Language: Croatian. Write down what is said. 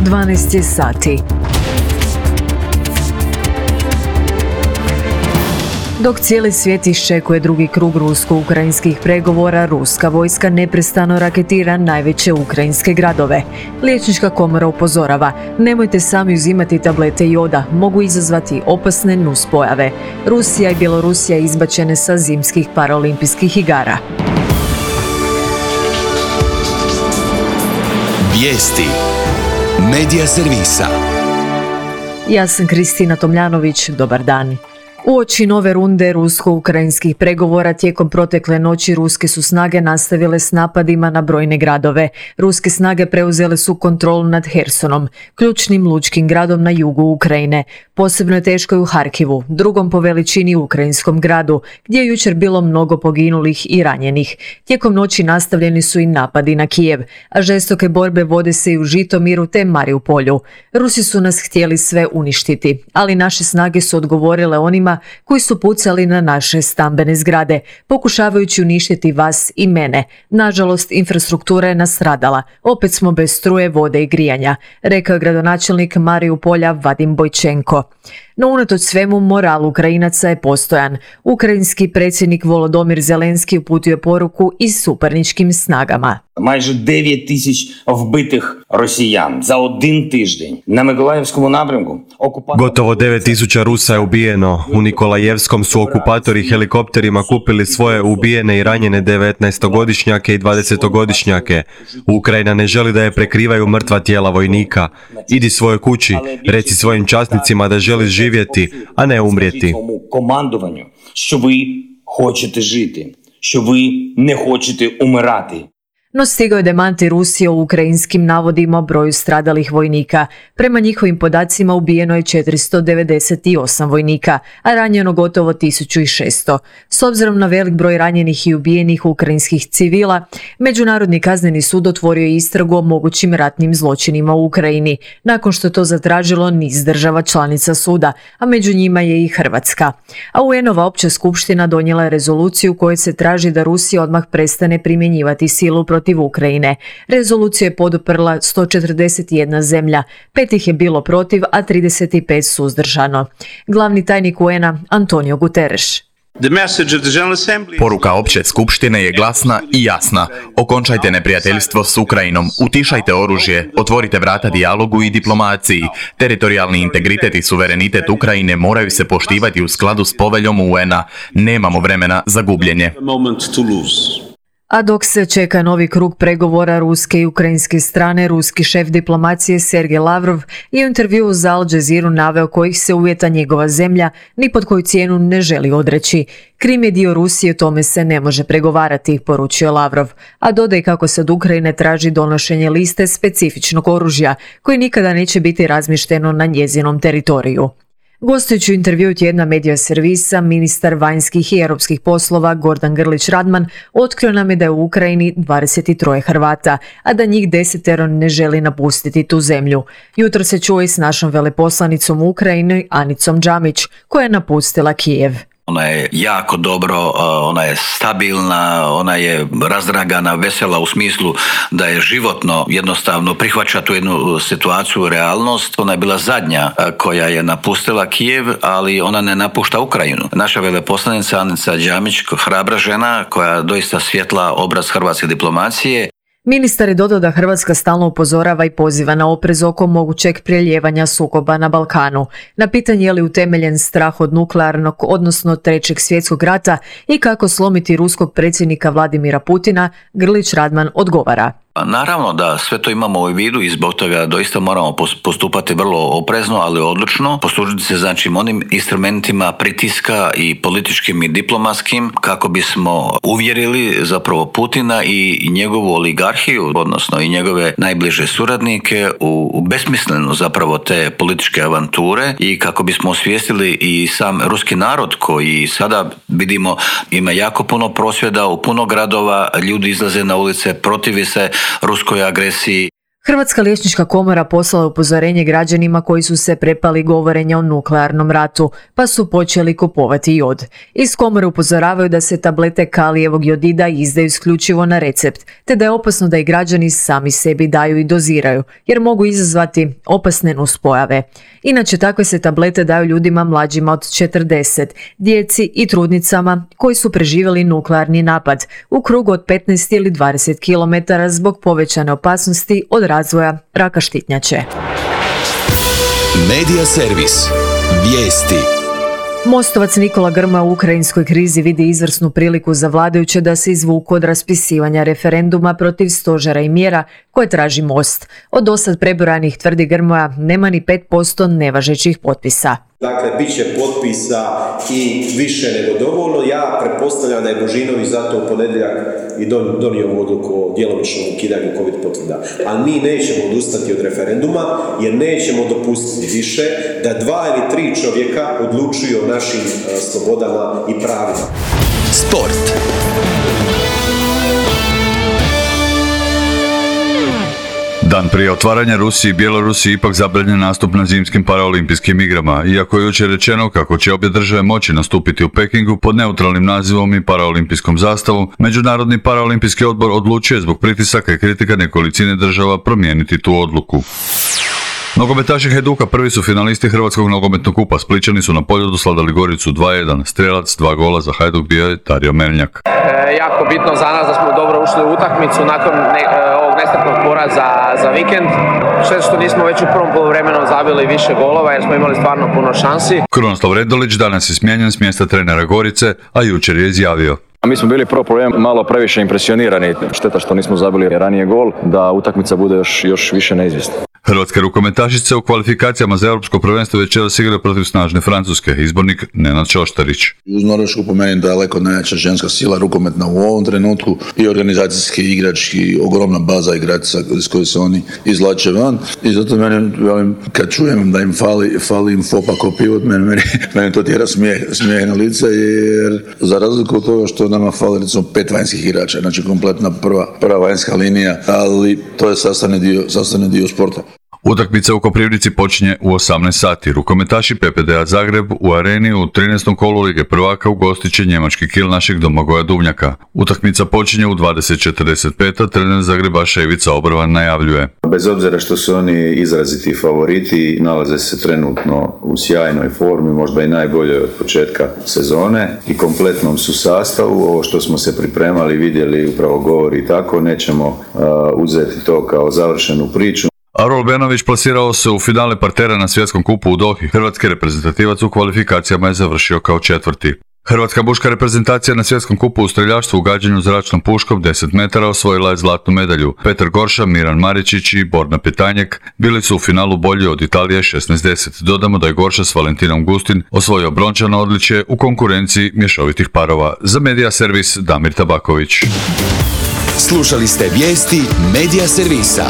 12 je sati. Dok cijeli svijet iščekuje drugi krug rusko-ukrajinskih pregovora, ruska vojska neprestano raketira najveće ukrajinske gradove. Liječnička komora upozorava, nemojte sami uzimati tablete joda, mogu izazvati opasne nuspojave. Rusija i Bjelorusija izbačene sa zimskih paraolimpijskih igara. Vijesti Medija servisa. Ja sam Kristina Tomljanović, dobar dan. Uoči nove runde rusko-ukrajinskih pregovora tijekom protekle noći ruske su snage nastavile s napadima na brojne gradove. Ruske snage preuzele su kontrolu nad Hersonom, ključnim lučkim gradom na jugu Ukrajine. Posebno je teško i u Harkivu, drugom po veličini ukrajinskom gradu, gdje je jučer bilo mnogo poginulih i ranjenih. Tijekom noći nastavljeni su i napadi na Kijev, a žestoke borbe vode se i u Žitomiru te Mariupolju. Rusi su nas htjeli sve uništiti, ali naše snage su odgovorile onima koji su pucali na naše stambene zgrade, pokušavajući uništiti vas i mene. Nažalost, infrastruktura je nastradala. Opet smo bez struje, vode i grijanja, rekao je gradonačelnik Mariupolja Vadim Bojčenko. No unatoč svemu, moral Ukrajinaca je postojan. Ukrajinski predsjednik Volodymyr Zelenski uputio poruku i suparničkim snagama. Майже 9 тисяч вбитих росіян за один тиждень на Миколаївському напрямку. Gotovo 9.000 Rusa je ubijeno. U Nikolajevskom su okupatori helikopterima kupili svoje ubijene i ranjene 19-godišnjake i 20-godišnjake. Ukrajina ne želi da je prekrivaju mrtva tijela vojnika. Idi svojoj kući, reci svojim časnicima da želiš živjeti, a ne umrijeti. Командуванню, що ви хочете жити, що ви не хочете умирати. No stigao je demanti Rusije o ukrajinskim navodima o broju stradalih vojnika. Prema njihovim podacima ubijeno je 498 vojnika, a ranjeno gotovo 1600. S obzirom na velik broj ranjenih i ubijenih ukrajinskih civila, Međunarodni kazneni sud otvorio je istragu o mogućim ratnim zločinima u Ukrajini, nakon što to zatražilo niz država članica suda, a među njima je i Hrvatska. A UN-ova opća skupština donijela je rezoluciju u kojoj se traži da Rusija odmah prestane primjenjivati silu protiv Ukrajine. Rezoluciju je poduprla 141 zemlja, 5 ih je bilo protiv, a 35 suzdržano. Glavni tajnik UN-a Antonio Guterres. Poruka opće skupštine je glasna i jasna. Okončajte neprijateljstvo s Ukrajinom, utišajte oružje, otvorite vrata dijalogu i diplomaciji. Teritorijalni integritet i suverenitet Ukrajine moraju se poštivati u skladu s poveljom UN-a. Nemamo vremena za gubljenje. A dok se čeka novi krug pregovora ruske i ukrajinske strane, ruski šef diplomacije Sergej Lavrov je u intervjuu za Al Jazeeru naveo kojih se uvjeta njegova zemlja ni pod koju cijenu ne želi odreći. Krim je dio Rusije, tome se ne može pregovarati, poručio Lavrov, a dodaj kako se od Ukrajine traži donošenje liste specifičnog oružja koji nikada neće biti razmješteno na njezinom teritoriju. Gostujući u intervjuu tjedna Medija servisa, ministar vanjskih i europskih poslova Gordan Grlić Radman otkrio nam je da je u Ukrajini 23 Hrvata, a da njih 10 ne želi napustiti tu zemlju. Jutro se čuo i s našom veleposlanicom u Ukrajini Anicom Džamić, koja je napustila Kijev. Ona je jako dobro, ona je stabilna, ona je razdragana, vesela u smislu da je životno jednostavno prihvaća tu jednu situaciju, realnost. Ona je bila zadnja koja je napustila Kijev, ali ona ne napušta Ukrajinu. Naša veleposlanica Anica Džamić, hrabra žena koja doista svjetla obraz hrvatske diplomacije. Ministar je dodao da Hrvatska stalno upozorava i poziva na oprez oko mogućeg prelijevanja sukoba na Balkanu. Na pitanje je li utemeljen strah od nuklearnog, odnosno Trećeg svjetskog rata i kako slomiti ruskog predsjednika Vladimira Putina, Grlić Radman odgovara. Naravno da sve to imamo u vidu i zbog toga doista moramo postupati vrlo oprezno, ali odlučno, poslužiti se znači onim instrumentima pritiska i političkim i diplomatskim kako bismo uvjerili zapravo Putina i njegovu oligarhiju, odnosno i njegove najbliže suradnike u besmislenu zapravo te političke avanture i kako bismo osvijestili i sam ruski narod koji sada vidimo ima jako puno prosvjeda u puno gradova, ljudi izlaze na ulice, protivi se ruskoj agresiji. Hrvatska liječnička komora poslala upozorenje građanima koji su se prepali govorenja o nuklearnom ratu, pa su počeli kupovati jod. Iz komore upozoravaju da se tablete kalijevog jodida izdaju isključivo na recept, te da je opasno da i građani sami sebi daju i doziraju, jer mogu izazvati opasne nuspojave. Inače, takve se tablete daju ljudima mlađima od 40, djeci i trudnicama koji su preživjeli nuklearni napad u krugu od 15 ili 20 km zbog povećane opasnosti od razvoja raka štitnjače. Medija servis. Vijesti. Mostovac Nikola Grmoja u ukrajinskoj krizi vidi izvrsnu priliku za vladajuće da se izvuku od raspisivanja referenduma protiv stožera i mjera koje traži Most. Od dosad prebrojanih, tvrdi Grmoja, nema ni 5% nevažećih potpisa. Dakle, bit će potpisa i više nego dovoljno. Ja pretpostavljam da je Božinović zato u ponedjeljak i donio ovu odluku o djelomičnom ukidanju COVID potvrda. Ali mi nećemo odustati od referenduma jer nećemo dopustiti više da 2 ili 3 čovjeka odlučuju o našim slobodama i pravima. Sport. Dan prije otvaranja Rusiji i Bjelorusiji ipak zabranjen nastup na zimskim paraolimpijskim igrama, iako je jučer rečeno kako će obje države moći nastupiti u Pekingu pod neutralnim nazivom i paraolimpijskom zastavom, Međunarodni paraolimpijski odbor odlučio je zbog pritisaka i kritika nekolicine država promijeniti tu odluku. Nogometaši Hajduka prvi su finalisti Hrvatskog nogometnog kupa. Splićani su na Poljudu slavili Goricu 2-1. Strelac 2 gola za Hajduk bio je Dario Melnjak. Jako bitno za nas da smo dobro ušli u utakmicu nakon ovog nesretnog poraza za vikend. Šteta što nismo već u prvom poluvremenu zabili više golova jer smo imali stvarno puno šansi. Krunoslav Redolić danas je smijenjen s mjesta trenera Gorice, a jučer je izjavio: Mi smo bili prvo problem malo previše impresionirani. Šteta što nismo zabili ranije gol, da utakmica bude još više neizvjesna. Hrvatske rukometašice u kvalifikacijama za europsko prvenstvo večeras igraju protiv snažne Francuske. Izbornik Nenad Čoštarić. Uz Norvešku po meni daleko najjača ženska sila rukometna u ovom trenutku i organizacijski i igrački ogromna baza igrača iz koje se oni izvlače van. I zato meni, kad čujem da im fali im fopa ko pivot, meni to tjera smijeh na lice, jer za razliku od toga što nama fali recimo 5 vanjskih igrača, znači kompletna prva vanjska linija, ali to je sastavni dio sporta. Utakmica u Koprivnici počinje u 18 sati. Rukometaši PPD-a Zagreb u Areni u 13. kolu Lige prvaka ugostit će njemački Kiel našeg Domagoja Duvnjaka. Utakmica počinje u 20:45, trener Zagrebaša Ivica Obrvan najavljuje: Bez obzira što su oni izraziti favoriti, nalaze se trenutno u sjajnoj formi, možda i najboljoj od početka sezone i kompletnom su sastavu. Ovo što smo se pripremali, vidjeli, upravo govori tako, nećemo uzeti to kao završenu priču. Arol Benović plasirao se u finale partera na svjetskom kupu u Dohi. Hrvatski reprezentativac u kvalifikacijama je završio kao 4. Hrvatska muška reprezentacija na svjetskom kupu u streljaštvu u gađanju zračnom puškom 10 metara osvojila je zlatnu medalju. Petar Gorša, Miran Maričić i Borna Petanjek bili su u finalu bolji od Italije 16-10. Dodamo da je Gorša s Valentinom Gustin osvojio brončano odličje u konkurenciji mješovitih parova. Za Medija servis Damir Tabaković. Slušali ste vijesti Medija servisa.